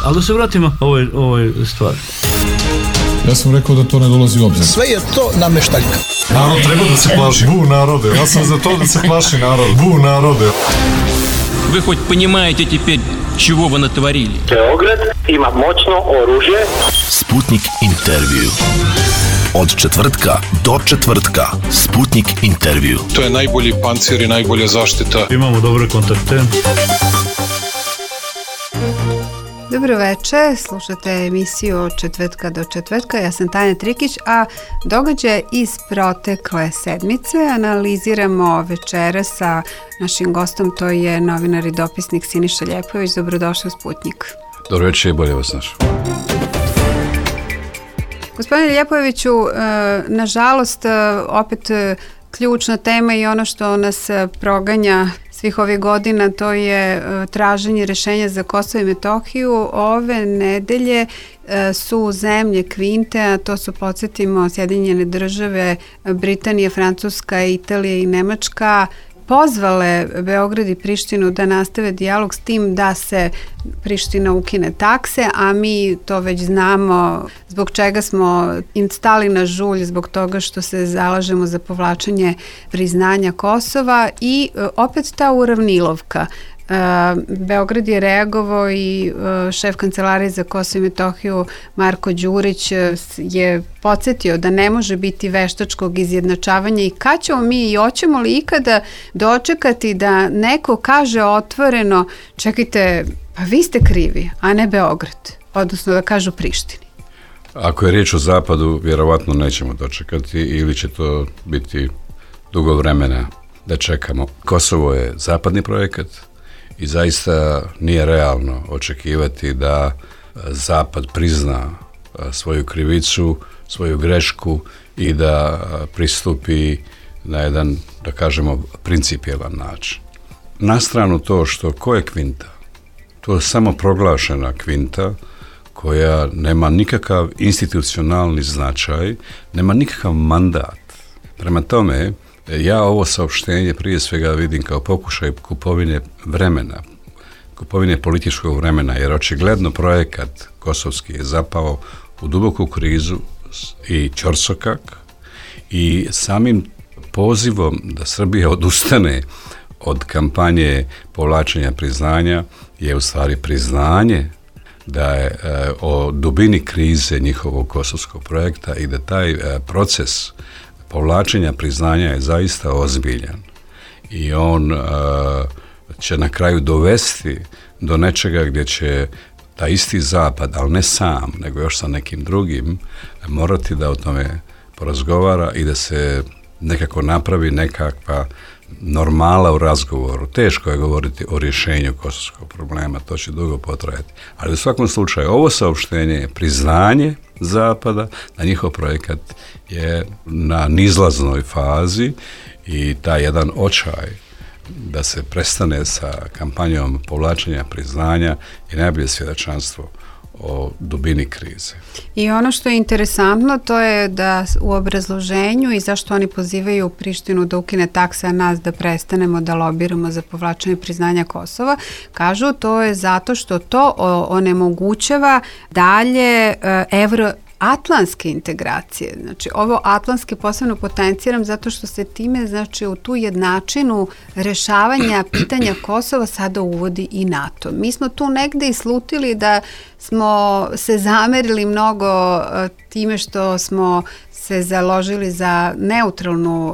Ali da se vratimo ovoj stvari. Ja sam rekao da to ne dolazi u obzir. Sve je to nameštaljka. Narod treba da se plaši. Bu narode. Ja sam za to da se plaši narod. Bu narode. Вы хоть понимаете теперь, чего вы натворили? Beograd ima moćno oružje. Sputnik intervju. Od četvrtka do četvrtka. Sputnik intervju. To je najbolji pancir i najbolja zaštita. Imamo dobre kontakte. Dobro večer, slušate emisiju Od četvrtka do četvrtka. Ja sam Tanja Trikić, a događaje iz protekle sedmice analiziramo večera sa našim gostom, to je novinar i dopisnik Siniša Ljepojević. Dobrodošli u Sputnik. Dobro večer i bolje vas našao. Gospodine Ljepojeviću, nažalost, opet ključna tema i ono što nas proganja svih ovih godina, to je traženje rješenja za Kosovo i Metohiju. Ove nedelje su zemlje Kvinte, a to su, podsjetimo, Sjedinjene Države, Britanija, Francuska, Italija i Nemačka, pozvale Beograd i Prištinu da nastave dijalog s tim da se Priština ukine takse, a mi to već znamo zbog čega smo im stali na žulj, zbog toga što se zalažemo za povlačenje priznanja Kosova i opet ta uravnilovka. Beograd je reagovao i šef Kancelarije za Kosovo i Metohiju Marko Đurić je podsjetio da ne može biti veštačkog izjednačavanja i kad ćemo mi i hoćemo li ikada dočekati da neko kaže otvoreno: čekajte, pa vi ste krivi, a ne Beograd, odnosno da kažu Prištini. Ako je riječ o zapadu, vjerovatno nećemo dočekati ili će to biti dugo vremena da čekamo. Kosovo je zapadni projekat i zaista nije realno očekivati da Zapad prizna svoju krivicu, svoju grešku i da pristupi na jedan, da kažemo, principijelan način. Na stranu to što ko je Kvinta? To je samo proglašena Kvinta koja nema nikakav institucionalni značaj, nema nikakav mandat. Prema tome, ja ovo saopštenje prije svega vidim kao pokušaj kupovine vremena, kupovine političkog vremena, jer očigledno projekat kosovski je zapao u duboku krizu i ćorsokak i samim pozivom da Srbija odustane od kampanje povlačenja priznanja je u stvari priznanje da je o dubini krize njihovog kosovskog projekta i da taj proces povlačenja priznanja je zaista ozbiljan i on će na kraju dovesti do nečega gdje će taj isti zapad, ali ne sam, nego još sa nekim drugim, morati da o tome porazgovara i da se nekako napravi nekakva normala u razgovoru. Teško je govoriti o rješenju kosovskog problema, to će dugo potrajati. Ali u svakom slučaju, ovo saopštenje je priznanje Zapada da njihov projekat je na nizlaznoj fazi i taj jedan očaj da se prestane sa kampanjom povlačenja priznanja je najbolje svjedočanstvo o dubini krize. I ono što je interesantno, to je da u obrazloženju i zašto oni pozivaju Prištinu da ukine takse, a nas da prestanemo da lobiramo za povlačenje priznanja Kosova, kažu to je zato što to onemogućava dalje evroatlantske integracije. Znači, ovo atlantske posebno potenciram zato što se time, znači, u tu jednačinu rešavanja pitanja Kosova sada uvodi i NATO. Mi smo tu negde i slutili da smo se zamerili mnogo time što smo se založili za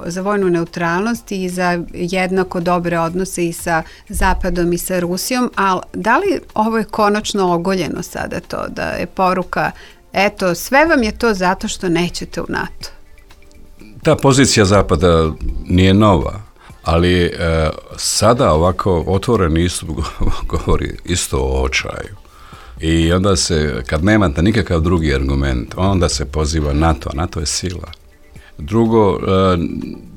za vojnu neutralnost i za jednako dobre odnose i sa Zapadom i sa Rusijom, ali da li ovo je konačno ogoljeno sada to da je poruka: eto, sve vam je to zato što nećete u NATO? Ta pozicija Zapada nije nova, ali sada ovako otvoren istup govori isto o očaju. I onda se, kad nemate nikakav drugi argument, onda se poziva NATO, a NATO je sila. Drugo,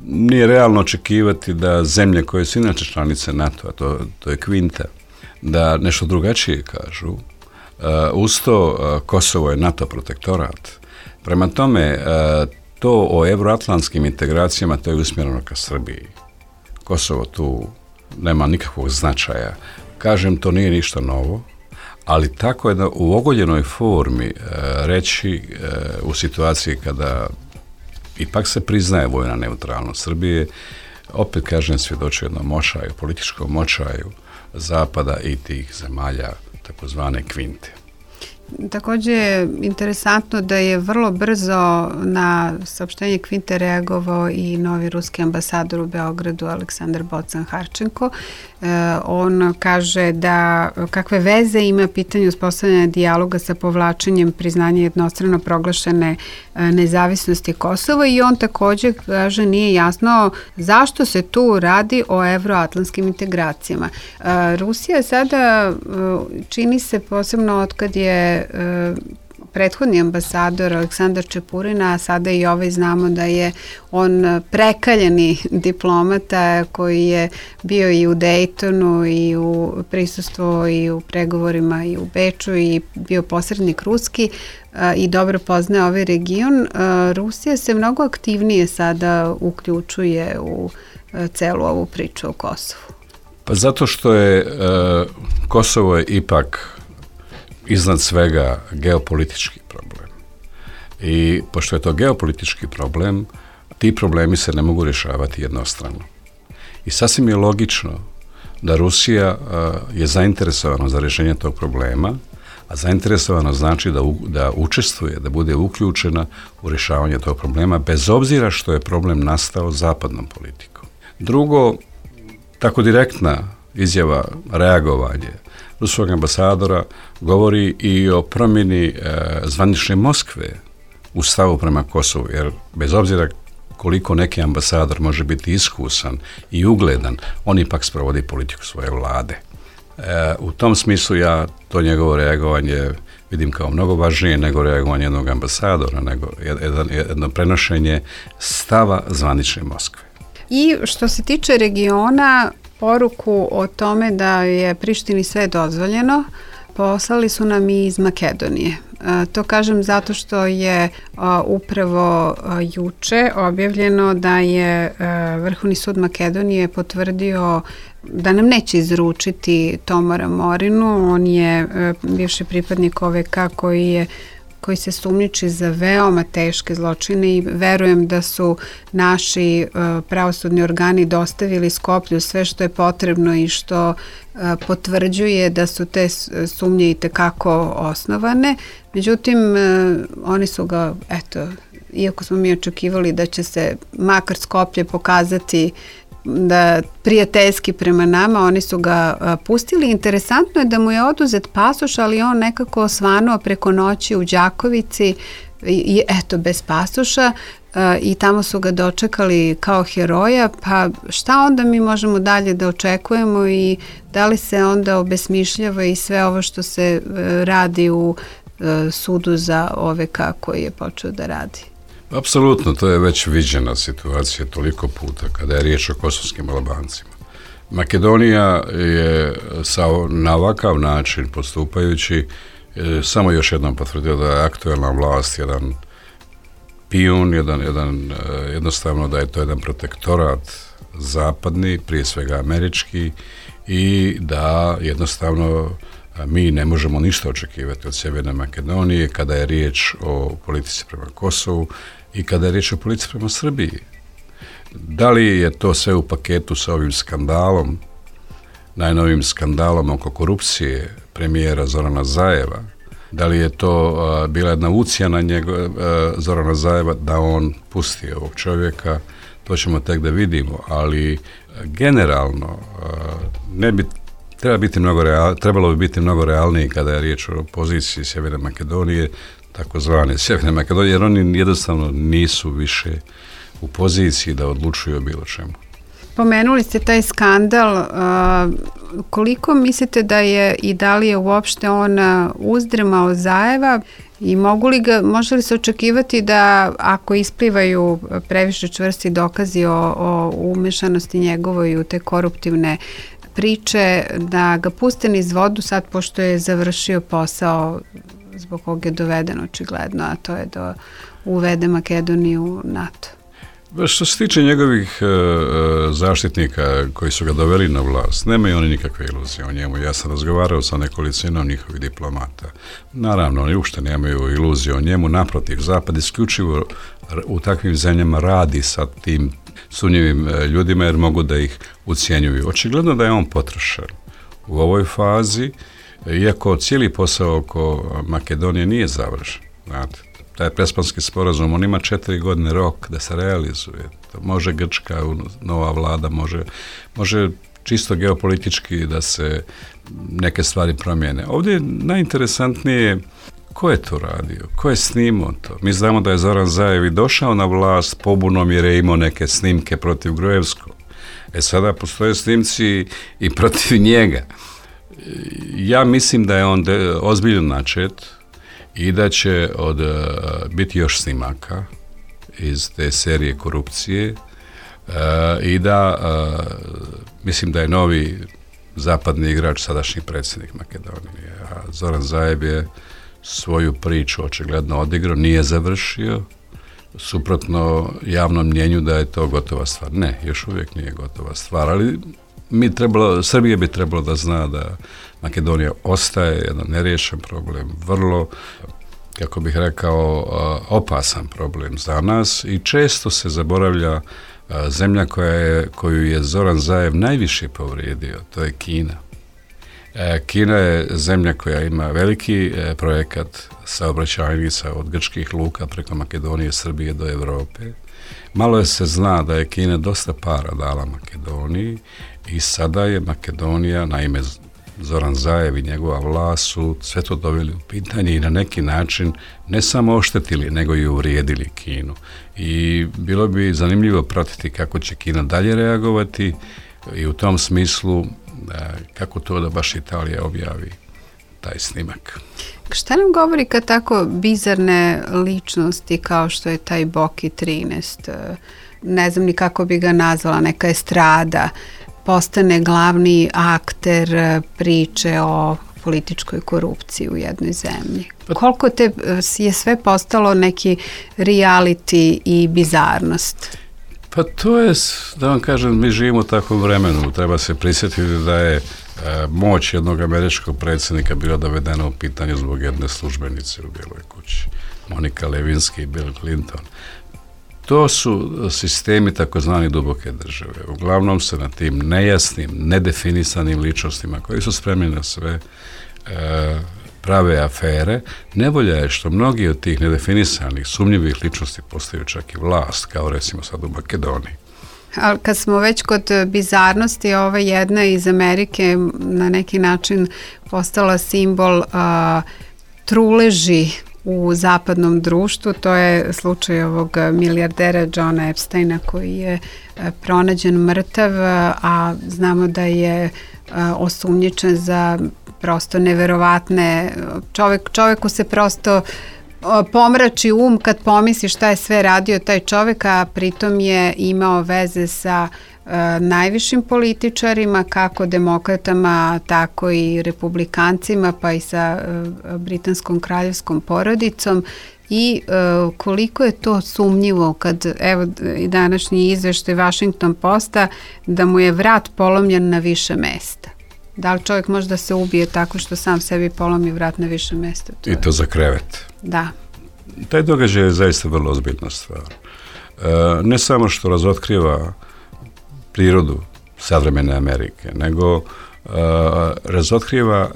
nije realno očekivati da zemlje koje su inače članice NATO-a, to je Kvinta, da nešto drugačije kažu. Uz to Kosovo je NATO protektorat. Prema tome, to o evroatlantskim integracijama, to je usmjereno ka Srbiji. Kosovo tu nema nikakvog značaja. Kažem, to nije ništa novo, ali tako jedno u ogoljenoj formi reći u situaciji kada ipak se priznaje vojna neutralnost Srbije, opet kažem svjedoči jednom močaju, političkom močaju Zapada i tih zemalja takozvane kvinte. Također je interesantno da je vrlo brzo na saopštenje kvinte reagovao i novi ruski ambasador u Beogradu Aleksandar Bocan-Harčenko. On kaže da kakve veze ima pitanje uspostavljanja dijaloga sa povlačenjem priznanja jednostrano proglašene nezavisnosti Kosova i on također kaže nije jasno zašto se tu radi o evroatlantskim integracijama. Rusija sada čini se posebno otkad je prethodni ambasador Aleksandar Čepurina, a sada i ovaj znamo da je on prekaljeni diplomata koji je bio i u Dejtonu i u prisustvu i u pregovorima i u Beču i bio posrednik ruski i dobro poznaje ovaj region. Rusija se mnogo aktivnije sada uključuje u celu ovu priču o Kosovu. Pa zato što je Kosovo je ipak iznad svega geopolitički problem. I pošto je to geopolitički problem, ti problemi se ne mogu rješavati jednostrano. I sasvim je logično da Rusija je zainteresovana za rješenje tog problema, a zainteresovano znači da učestvuje, da bude uključena u rješavanje tog problema, bez obzira što je problem nastao zapadnom politikom. Drugo, tako direktna izjava, reagovanje ruskog ambasadora govori i o promjeni zvanične Moskve u stavu prema Kosovu, jer bez obzira koliko neki ambasador može biti iskusan i ugledan, on ipak sprovodi politiku svoje vlade. U tom smislu ja to njegovo reagovanje vidim kao mnogo važnije nego reagovanje jednog ambasadora, nego jedno prenošenje stava zvanične Moskve. I što se tiče regiona, poruku o tome da je Prištini sve dozvoljeno poslali su nam i iz Makedonije. To kažem zato što je upravo juče objavljeno da je Vrhovni sud Makedonije potvrdio da nam neće izručiti Tomora Morinu. On je bivši pripadnik OVK koji se sumnjiči za veoma teške zločine i verujem da su naši pravosudni organi dostavili Skoplju sve što je potrebno i što potvrđuje da su te sumnje i tekako osnovane. Međutim, oni su ga, iako smo mi očekivali da će se makar Skoplje pokazati da prijateljski prema nama, oni su ga pustili. Interesantno je da mu je oduzet pasoš, ali on nekako osvanuo preko noći u Đakovici i bez pasoša i tamo su ga dočekali kao heroja, pa šta onda mi možemo dalje da očekujemo i da li se onda obesmišljava i sve ovo što se radi u sudu za OVK koji je počeo da radi? Apsolutno, to je već viđena situacija toliko puta kada je riječ o kosovskim Albancima. Makedonija je na ovakav način postupajući samo još jednom potvrdila da je aktuelna vlast jedan pijun, jednostavno da je to jedan protektorat zapadni, prije svega američki, i da jednostavno mi ne možemo ništa očekivati od Sjeverne Makedonije kada je riječ o politici prema Kosovu i kada je riječ o politici prema Srbiji. Da li je to sve u paketu sa ovim skandalom, najnovim skandalom oko korupcije premijera Zorana Zajeva? Da li je to bila jedna ucjena Zorana Zajeva da on pusti ovog čovjeka? To ćemo tek da vidimo, ali generalno trebalo bi biti mnogo realniji kada je riječ o poziciji Sjeverne Makedonije, takozvane Sjeverne Makedonije, jer oni jednostavno nisu više u poziciji da odlučuju o bilo čemu. Pomenuli ste taj skandal, koliko mislite da je i da li je uopšte on uzdrmao Zajeva i može li se očekivati da ako isplivaju previše čvrsti dokazi o umešanosti njegovoj u te koruptivne priče, da ga puste niz vodu sad pošto je završio posao zbog kog je doveden očigledno, a to je da uvede Makedoniju u NATO? Što se tiče njegovih zaštitnika koji su ga doveli na vlast, nemaju oni nikakve iluzije o njemu. Ja sam razgovarao sa nekolicinom njihovih diplomata. Naravno, oni uopšte nemaju iluzije o njemu. Naprotiv, Zapad isključivo u takvim zemljama radi sa tim sumnjivim ljudima jer mogu da ih ucjenjuju. Očigledno da je on potrošen u ovoj fazi, iako cijeli posao oko Makedonije nije završen. Znate, taj Prespanski sporazum, on ima 4 godine rok da se realizuje. To može Grčka, nova vlada, može čisto geopolitički da se neke stvari promijene. Ovdje je najinteresantnije ko je to radio, ko je snimao to. Mi znamo da je Zoran Zaev i došao na vlast pobunom jer je imao neke snimke protiv Gruevskog. Sada postoje snimci i protiv njega. Ja mislim da je on ozbiljno načet i da će biti još snimaka iz te serije korupcije i da mislim da je novi zapadni igrač sadašnji predsjednik Makedonije. A Zoran Zaev je svoju priču očigledno odigrao, nije završio, suprotno javnom mnjenju da je to gotova stvar. Ne, još uvijek nije gotova stvar, ali Srbija bi trebalo da zna da Makedonija ostaje jedan neriješen problem, vrlo, kako bih rekao, opasan problem za nas i često se zaboravlja zemlja koju je Zoran Zaev najviše povrijedio, to je Kina. Kina je zemlja koja ima veliki projekat saobraćajnica od grčkih luka preko Makedonije, Srbije do Europe. Malo se zna da je Kina dosta para dala Makedoniji i sada je Makedonija, naime Zoran Zaev i njegova vlast su sve to doveli u pitanje i na neki način ne samo oštetili, nego i uvrijedili Kinu. I bilo bi zanimljivo pratiti kako će Kina dalje reagovati i u tom smislu kako to da baš Italija objavi taj snimak. Šta nam govori kad tako bizarne ličnosti kao što je taj Boki 13, ne znam ni kako bi ga nazvala, neka estrada, postane glavni akter priče o političkoj korupciji u jednoj zemlji? Koliko je sve postalo neki reality i bizarnost? Pa to je, da vam kažem, mi živimo u takvom vremenu. Treba se prisjetiti da je moć jednog američkog predsjednika bila dovedena u pitanje zbog jedne službenice u Bijeloj kući. Monika Lewinsky i Bill Clinton. To su sistemi takozvani duboke države. Uglavnom se na tim nejasnim, nedefinisanim ličnostima koji su spremni na sve prave afere. Nevolja je što mnogi od tih nedefinisanih, sumnjivih ličnosti postaju čak i vlast, kao recimo sad u Makedoniji. Ali kad smo već kod bizarnosti, ova jedna iz Amerike na neki način postala simbol truleži u zapadnom društvu, to je slučaj ovog milijardera Johna Epsteina koji je pronađen mrtav, a znamo da je osumnjičen za prosto neverovatne, čoveku se prosto pomrači kad pomisli šta je sve radio taj čovek, a pritom je imao veze sa najvišim političarima, kako demokratama, tako i republikancima, pa i sa britanskom kraljevskom porodicom. I koliko je to sumnjivo kad, evo i današnji izveštaj Washington Posta, da mu je vrat polomljen na više mesta. Da li čovjek može da se ubije tako što sam sebi polomi vrat na više mesta? I to za krevet. Da. Taj događaj je zaista vrlo ozbiljna stvar. Ne samo što razotkriva prirodu savremene Amerike, nego razotkriva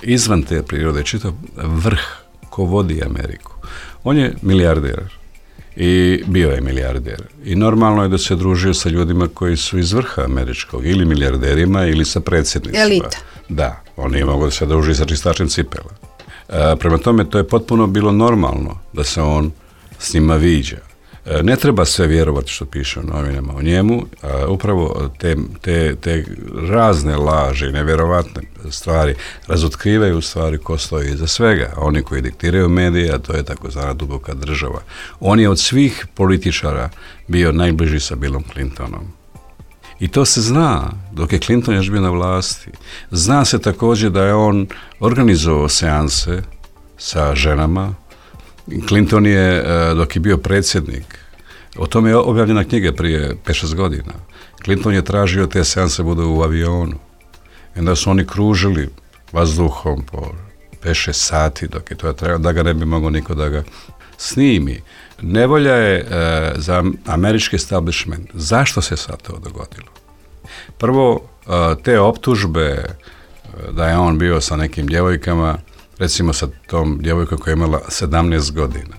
izvan te prirode čitav vrh ko vodi Ameriku. On je milijarder i bio je milijarder. I normalno je da se družio sa ljudima koji su iz vrha američkog, ili milijarderima ili sa predsjednicima. Elita. Da, on nije mogao da se druži sa čistačem cipela. Prema tome, to je potpuno bilo normalno da se on s njima viđa. Ne treba sve vjerovati što piše u novinama o njemu, a upravo te razne laži, nevjerovatne stvari razotkrivaju u stvari ko stoji iza svega. Oni koji diktiraju medije, a to je takozvana duboka država. On je od svih političara bio najbliži sa Billom Clintonom. I to se zna, dok je Clinton još bio na vlasti. Zna se također da je on organizovao seanse sa ženama. Clinton je, dok je bio predsjednik, O tome je objavljena knjiga prije 5-6 godina. Clinton je tražio te seanse budu u avionu. I onda su oni kružili vazduhom po 5-6 sati dok je to trebalo, da ga ne bi mogao niko da ga snimi. Nevolja je za američki establishment. Zašto se sad to dogodilo? Prvo, te optužbe da je on bio sa nekim djevojkama, recimo sa tom djevojkom koja je imala 17 godina.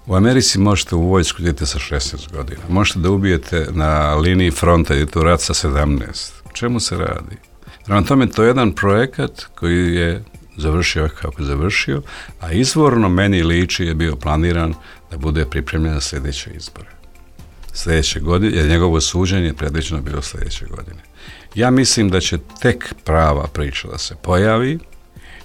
U Americi možete u vojsku idete sa 16 godina. Možete da ubijete na liniji fronta, idete u rat sa 17. O čemu se radi? Prema tome, to je jedan projekat koji je završio kako je završio, a izvorno meni liči je bio planiran da bude pripremljen za sljedeće izbore. Sljedeće godine, jer njegovo suđenje je predviđeno bilo sljedeće godine. Ja mislim da će tek prava priča da se pojavi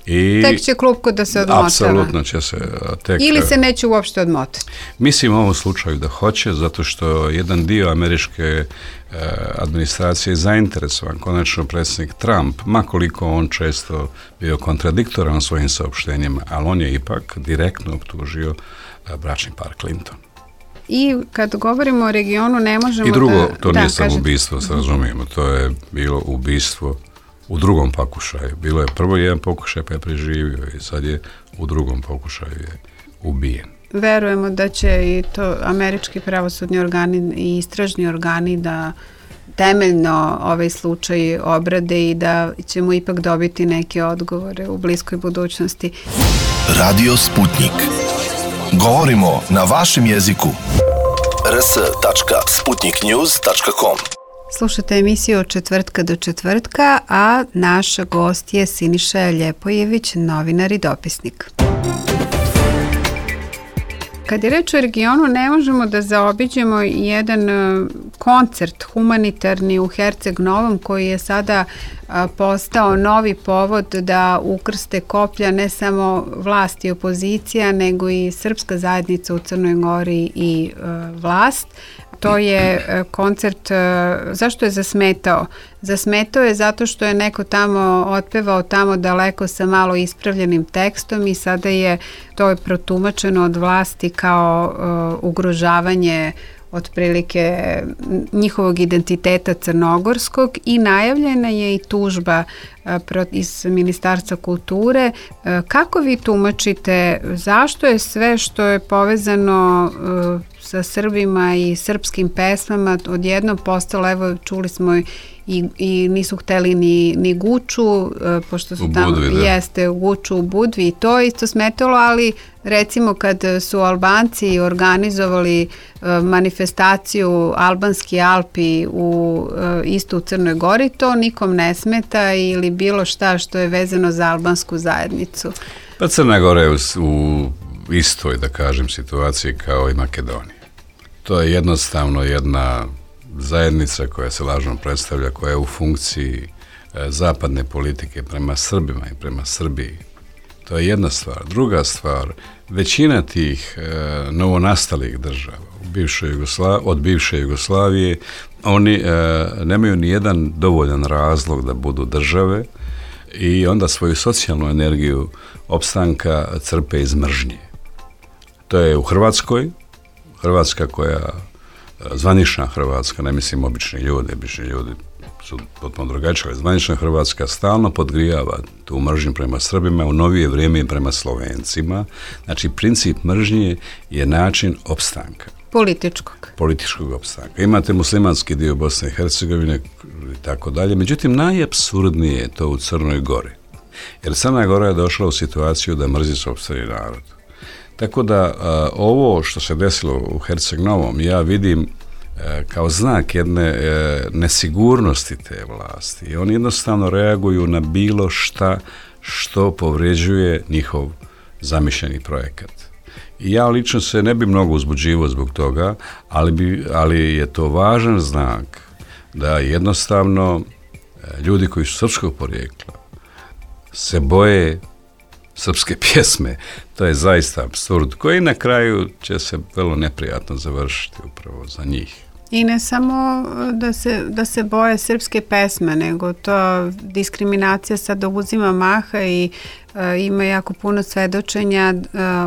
i tek će klupko da se odmotava. Apsolutno će se tek... Ili se neće uopšte odmotati? Mislim u ovom slučaju da hoće, zato što jedan dio američke administracije je zainteresovan. Konačno predsjednik Trump, makoliko on često bio kontradiktoran u svojim saopštenjima, ali on je ipak direktno optužio bračni par Clinton. I kad govorimo o regionu ne možemo i drugo, da... to nije samo ubistvo, se razumijemo, to je bilo ubistvo u drugom pokušaju. Bilo je prvo jedan pokušaj pa je preživio i sad je u drugom pokušaju je ubijen. Verujemo da će i to američki pravosudni organi i istražni organi da temeljno ovaj slučaj obrade i da ćemo ipak dobiti neke odgovore u bliskoj budućnosti. Radio Sputnik. Govorimo na vašem jeziku. rs.sputniknews.com. Slušate emisiju od četvrtka do četvrtka, a naš gost je Siniša Ljepojević, novinar i dopisnik. Kad je reč o regionu, ne možemo da zaobiđemo jedan koncert humanitarni u Herceg Novom koji je sada postao novi povod da ukrste koplja ne samo vlast i opozicija, nego i srpska zajednica u Crnoj Gori i vlast. To je koncert, zašto je zasmetao? Zasmetao je zato što je neko tamo otpevao tamo daleko sa malo ispravljenim tekstom i sada je to protumačeno od vlasti kao ugrožavanje otprilike njihovog identiteta crnogorskog i najavljena je i tužba iz Ministarstva kulture. Kako vi tumačite, zašto je sve što je povezano sa Srbima i srpskim pesmama odjednom postalo, evo čuli smo i nisu hteli ni Guču, pošto su tamo, jeste Guču u Budvi i to isto smetalo, ali recimo kad su Albanci organizovali manifestaciju Albanski Alpi isto u Crnoj Gori, to nikom ne smeta ili bilo šta što je vezano za albansku zajednicu. Pa Crna Gora je u istoj, da kažem, situaciji kao i Makedonija. To je jednostavno jedna zajednica koja se lažno predstavlja, koja je u funkciji zapadne politike prema Srbima i prema Srbiji. To je jedna stvar. Druga stvar, većina tih novonastalih država od bivše Jugoslavije, oni nemaju ni jedan dovoljan razlog da budu države i onda svoju socijalnu energiju opstanka crpe iz mržnje. To je u Hrvatskoj, Hrvatska koja, zvanična Hrvatska, ne mislim obični ljudi su potpuno drugačije, zvanična Hrvatska stalno podgrijava tu mržnju prema Srbima, u novije vrijeme i prema Slovencima. Znači, princip mržnje je način opstanka. Političkog opstanka. Imate muslimanski dio Bosne i Hercegovine i tako dalje, međutim, najapsurdnije je to u Crnoj Gori. Jer Crna Gora je došla u situaciju da mrzi sopstveni narod. Tako da ovo što se desilo u Herceg Novom ja vidim kao znak jedne nesigurnosti te vlasti. I oni jednostavno reaguju na bilo šta što povređuje njihov zamišljeni projekat. I ja lično se ne bi mnogo uzbuđivao zbog toga, ali je to važan znak da jednostavno ljudi koji su srpskog porijekla se boje srpske pjesme. To je zaista apsurd koji na kraju će se vrlo neprijatno završiti upravo za njih. I ne samo da se boje srpske pesme, nego to diskriminacija sad uzima maha i Ima jako puno svedočenja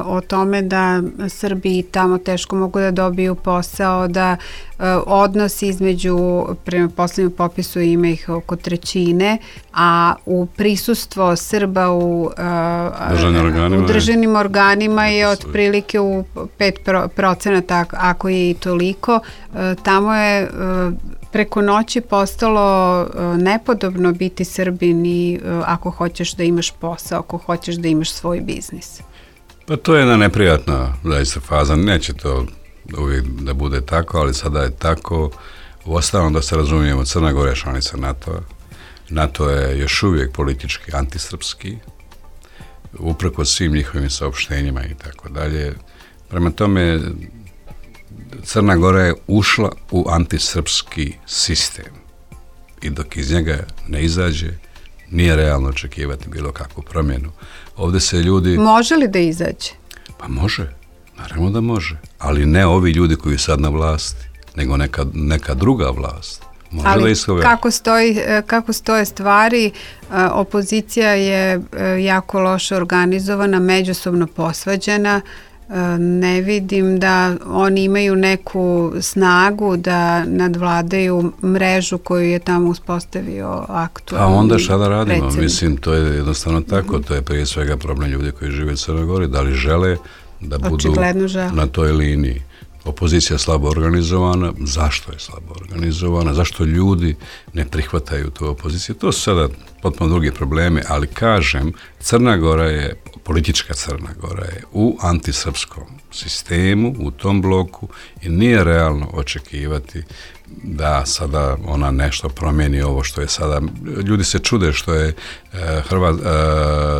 o tome da Srbi tamo teško mogu da dobiju posao, da odnos između, prema poslednjem popisu ima ih oko 1/3, a u prisustvo Srba u državnim organima je otprilike u 5%, ako je i toliko. Tamo je preko noći postalo nepodobno biti Srbin i ako hoćeš da imaš posao, ako hoćeš da imaš svoj biznis. Pa to je jedna neprijatna zaista faza, neće to uvijek da bude tako, ali sada je tako. Uostalom da se razumijemo, Crna Gora je članica NATO-a. NATO je još uvijek politički antisrpski, uprkos svim njihovim saopštenjima i tako dalje. Prema tome, Crna Gora je ušla u antisrpski sistem i dok iz njega ne izađe, nije realno očekivati bilo kakvu promjenu. Ovdje se ljudi... Može li da izađe? Pa može, naravno da može, ali ne ovi ljudi koji su sad na vlasti, nego neka druga vlast. Može. Ali kako stoje stvari, opozicija je jako loše organizovana, međusobno posvađana. Ne vidim da oni imaju neku snagu da nadvladaju mrežu koju je tamo uspostavio aktualni predsjednik. A onda šta da radimo? Mislim, to je jednostavno tako. To je prije svega problem ljudi koji žive u Crnoj Gori. Da li žele da budu na toj liniji? Opozicija je slabo organizovana. Zašto je slabo organizovana? Zašto ljudi ne prihvataju tu opoziciju? To su sada potpuno drugi problemi, ali kažem, Crna Gora je, politička Crna Gora je u antisrpskom sistemu, u tom bloku i nije realno očekivati da sada ona nešto promijeni ovo što je sada. Ljudi se čude što je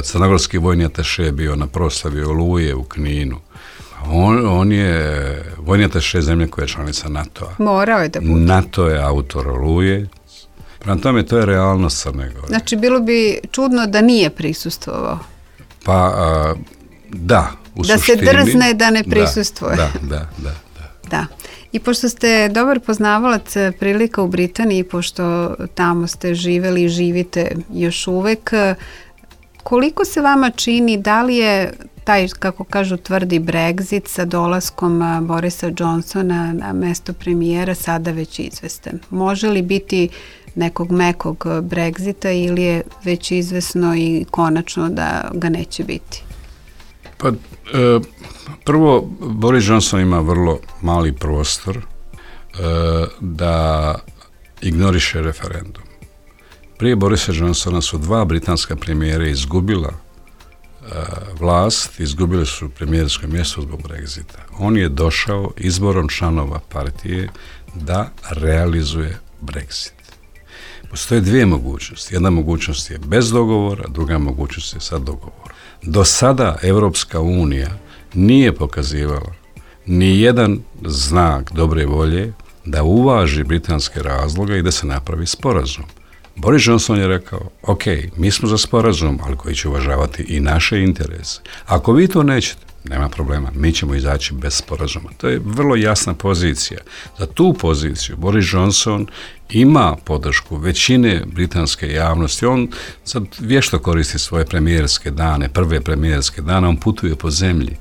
crnogorski vojni ataše bio na proslavi Oluje u Kninu. On je vojni ataše zemlje koja je članica NATO-a. Morao je da bude. NATO je autor Oluje. Prema tome, to je realnost Crne Gore. Znači, bilo bi čudno da nije prisustvovao. Pa, da, u suštini. Da se drzne da ne prisustvuje. Da. I pošto ste dobar poznavalac prilika u Britaniji, pošto tamo ste živeli i živite još uvek, koliko se vama čini, da li je taj, kako kažu, tvrdi Brexit sa dolaskom Borisa Johnsona na mesto premijera sada već izvestan? Može li biti nekog mekog Brexita ili je već izvesno i konačno da ga neće biti? Pa, prvo, Boris Johnson ima vrlo mali prostor da ignoriše referendum. Prije Borisa Johnsona su 2 britanska premijera izgubila vlast, izgubili su premijersko mjesto zbog Brexita. On je došao izborom članova partije da realizuje Brexit. Postoje 2 mogućnosti. Jedna mogućnost je bez dogovora, druga mogućnost je sa dogovorom. Do sada Evropska unija nije pokazivala ni jedan znak dobre volje da uvaži britanske razloge i da se napravi sporazum. Boris Johnson je rekao, ok, mi smo za sporazum, ali koji će uvažavati i naše interese. Ako vi to nećete, nema problema, mi ćemo izaći bez sporazuma. To je vrlo jasna pozicija. Za tu poziciju Boris Johnson ima podršku većine britanske javnosti. On sad vješto koristi svoje premijerske dane, prve premijerske dane, on putuje po zemlji.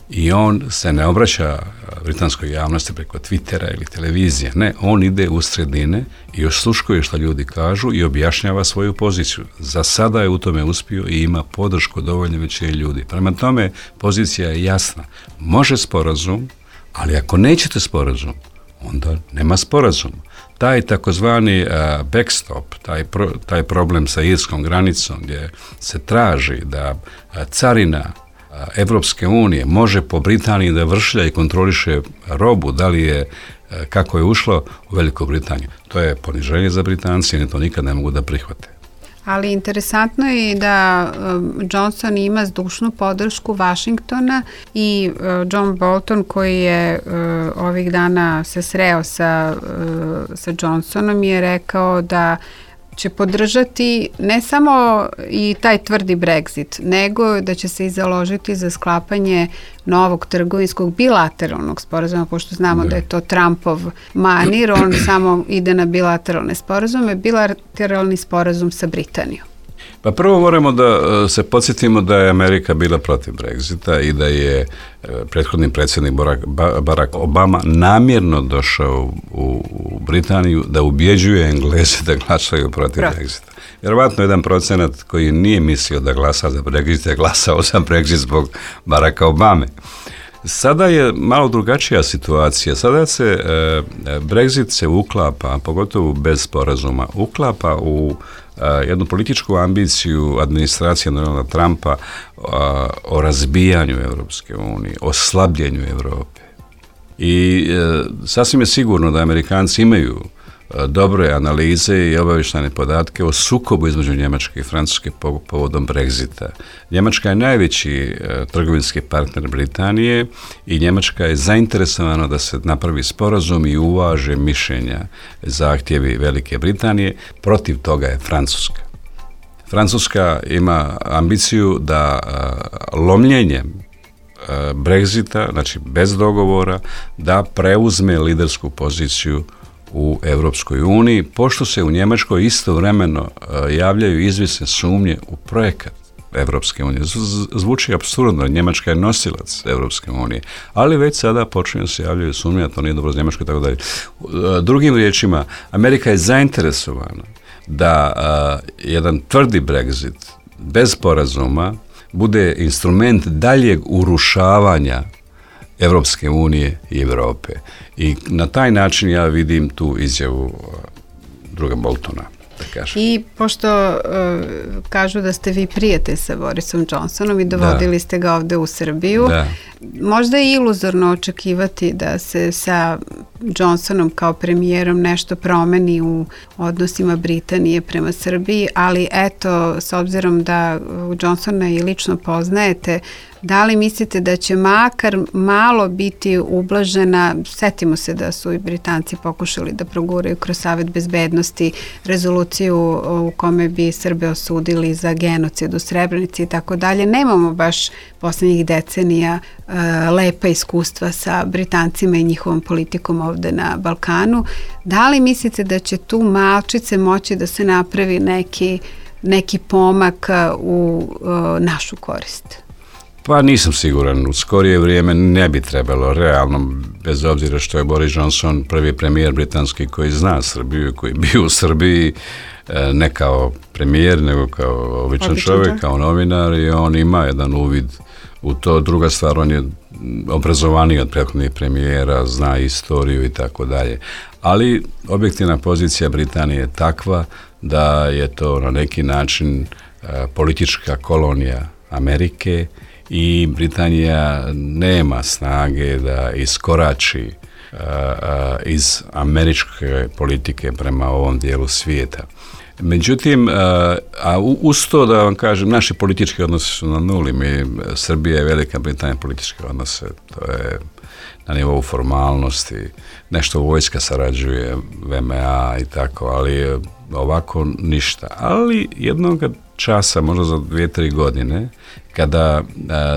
I on se ne obraća britanskoj javnosti preko Twittera ili televizije. Ne, on ide u sredine i osluškuje što ljudi kažu i objašnjava svoju poziciju. Za sada je u tome uspio i ima podršku dovoljno većine ljudi. Prema tome, pozicija je jasna. Može sporazum, ali ako nećete sporazum, onda nema sporazum. Taj takozvani backstop, taj problem sa irskom granicom gdje se traži da carina Evropske unije može po Britaniji da vršlja i kontroliše robu, da li je, kako je ušlo u Veliku Britaniju. To je poniženje za Britanci i to nikad ne mogu da prihvate. Ali interesantno je da Johnson ima zdušnu podršku Washingtona i John Bolton koji je ovih dana se sreo sa Johnsonom je rekao da će podržati ne samo i taj tvrdi Brexit, nego da će se i založiti za sklapanje novog trgovinskog bilateralnog sporazuma, pošto znamo da je to Trumpov manir, on samo ide na bilateralne sporazume, bilateralni sporazum sa Britanijom. Pa prvo moramo da se podsjetimo da je Amerika bila protiv Brexita i da je prethodni predsjednik Barack Obama namjerno došao u Britaniju da ubjeđuje Engleze da glasaju protiv Brexita. Vjerovatno 1% koji nije mislio da glasa za Brexit je glasao za Brexit zbog Baracka Obame. Sada je malo drugačija situacija. Sada se Brexit se uklapa, pogotovo bez sporazuma, uklapa u jednu političku ambiciju administracije Donalda Trumpa o razbijanju Europske unije, o slabljenju Europe. I sasvim je sigurno da Amerikanci imaju dobre analize i obavještajne podatke o sukobu između Njemačke i Francuske povodom Brexita. Njemačka je najveći trgovinski partner Britanije i Njemačka je zainteresovana da se napravi sporazum i uvaže mišljenja, zahtjevi Velike Britanije. Protiv toga je Francuska. Francuska ima ambiciju da lomljenjem Brexita, znači bez dogovora, da preuzme lidersku poziciju u Europskoj uniji, pošto se u Njemačkoj istovremeno javljaju izvjesne sumnje u projekat Europske unije. Zvuči apsurdno, Njemačka je nosilac Europske unije, ali već sada počinju se javljaju sumnje, a to nije dobro za Njemačku i tako dalje. Drugim riječima, Amerika je zainteresovana da jedan tvrdi Brexit bez sporazuma bude instrument daljeg urušavanja Europske unije i Europe. I na taj način ja vidim tu izjavu druga Boltona, da kažem. I pošto kažu da ste vi prijatelj sa Borisom Johnsonom i dovodili ste ga ovde u Srbiju, možda je iluzorno očekivati da se sa Johnsonom kao premijerom nešto promeni u odnosima Britanije prema Srbiji, ali eto, s obzirom da Johnsona i lično poznajete, da li mislite da će makar malo biti ublažena, setimo se da su i Britanci pokušali da proguraju kroz Savet bezbednosti rezoluciju u kome bi Srbe osudili za genocid u Srebrenici i tako dalje. Nemamo baš poslednjih decenija lepa iskustva sa Britancima i njihovom politikom ovde na Balkanu. Da li mislite da će tu malčice moći da se napravi neki pomak u našu korist? Pa nisam siguran, u skorije vrijeme ne bi trebalo, realno, bez obzira što je Boris Johnson prvi premijer britanski koji zna Srbiju, koji je bio u Srbiji, ne kao premijer, nego kao običan čovjek, kao novinar, i on ima jedan uvid u to. Druga stvar, on je obrazovaniji od prethodnih premijera, zna istoriju i tako dalje. Ali objektivna pozicija Britanije je takva da je to na neki način politička kolonija Amerike i Britanija nema snage da iskorači iz američke politike prema ovom dijelu svijeta. Međutim, a uz to da vam kažem, naši politički odnosi su na nuli. Srbija i Velika Britanija političke odnose, to je na nivou formalnosti, nešto vojska sarađuje, VMA i tako, ali ovako ništa. Ali jednog časa, možda za 2-3 godine, kada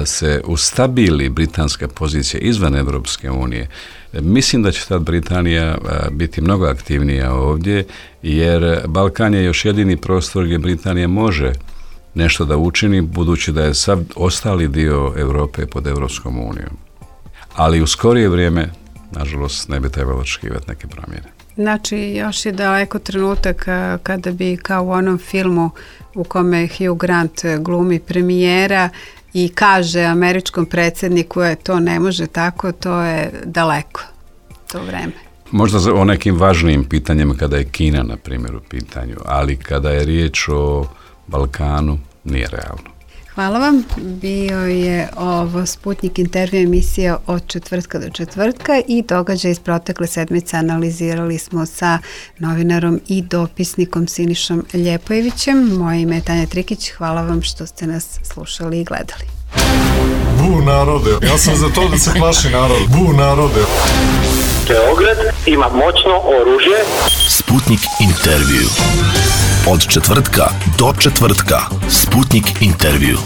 se ustabili britanska pozicija izvan Europske unije, mislim da će tad Britanija biti mnogo aktivnija ovdje, jer Balkan je još jedini prostor gdje Britanija može nešto da učini, budući da je sav ostali dio Europe pod Europskom unijom. Ali u skorije vrijeme, nažalost, ne bi trebalo očekivati neke promjene. Znači, još je daleko trenutak kada bi, kao u onom filmu u kome Hugh Grant glumi premijera i kaže američkom predsjedniku to ne može tako, to je daleko, to vreme. Možda o nekim važnijim pitanjima kada je Kina, na primjer, u pitanju, ali kada je riječ o Balkanu, nije realno. Hvala vam. Bio je ovo Sputnik intervju emisija od četvrtka do četvrtka i događaj iz protekle sedmice analizirali smo sa novinarom i dopisnikom Sinišom Ljepojevićem. Moje ime je Tanja Trikić. Hvala vam što ste nas slušali i gledali. Bu narode, ja sam za to da se plaši narod. Bu narode. Beograd ima moćno oružje. Sputnik intervju. Od četvrtka do četvrtka. Sputnik intervju.